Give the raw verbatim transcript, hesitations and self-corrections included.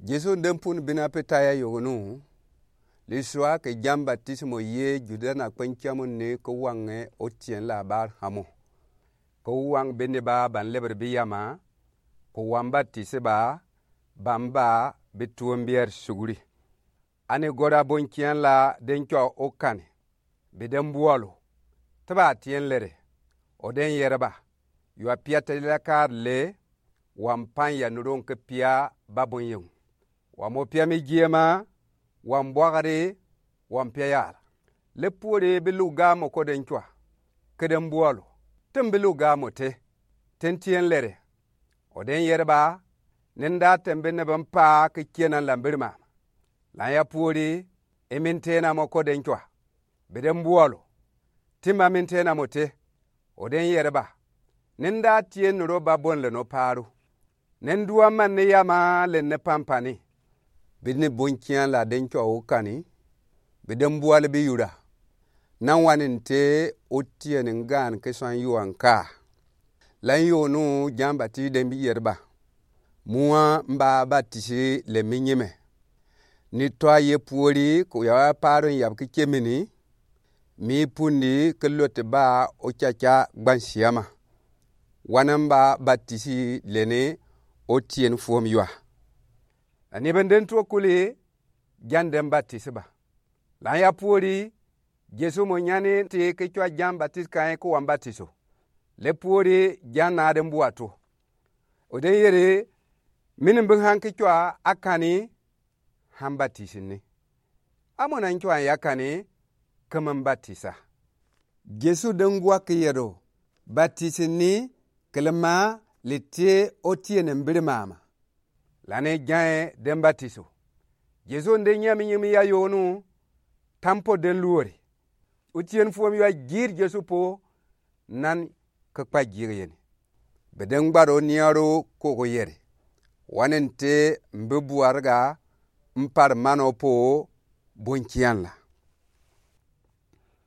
Jesu n den pun bina pe tai a yognu, lisua ke Jan Batisimo ye juda na kpɛn kiamun ni ke wange otiɛn la bar hamo. Ke wang bini ba ban lebre bi yama, ke wang batisi ba, ban ba bi tuon bier suguri. Ani gora bon kian la den cua okani, bi den bualu, te ba tien lere, o den yere ba, yua pia te la kar le, wang pan ya nuron ke pia ba bon yong. Wang mo pia mi giema, wang buagari, wang pia yala. Le puori bi luga mo ko den cua, ke den bualu, te bi luga mo te, ten tien lere, o den yere ba, nen da tembe ne ben pa ke kienan la mbiri mama. Lan ya puori, emin tena mo ko den cua, bi den bualu, te ma min tena mo te, o den yere ba, nen da tien nuro ba bon le no paru. Nen dua man ne yama le ne pampani. Bi ne bon kian la den cua okani, bi den bualu bi yura. Nan wanin te otien ngan ke san yuan ka. Lan yognu Jan Batis den bi yere ba, mua mba batisi le mi nyime. Ni tɔ a ye puori ko ya wa paron yab ki kemini, mi pundi ke loti ba ocaca gbansiama. Wane mba batisi le ni otien fuom yua. Ani ben den tuo kuli, Jan den batisi ba. Lan ya puori, Jesu mo nyani ti ke cua Jan Batis kan ko wang batiso. Le puori Jan na den bua tuo. O den yere, mini bi han ke cua akani, han batisi ni. Amo na n cua ya kani, ke mi batisa. Jesu den gua ke yero, batisi ni, kelema, le te otien mbiri mama. Lane Jan den batiso. Jesu n den nyami nyimi ya yognu, tampo den luori. Otien fuom yua gir Jesu po, nan ke kpa gir yeni. Bi den gbaro niaro koko yere. Wanen te mbi buarga mpar mano po bon kian la.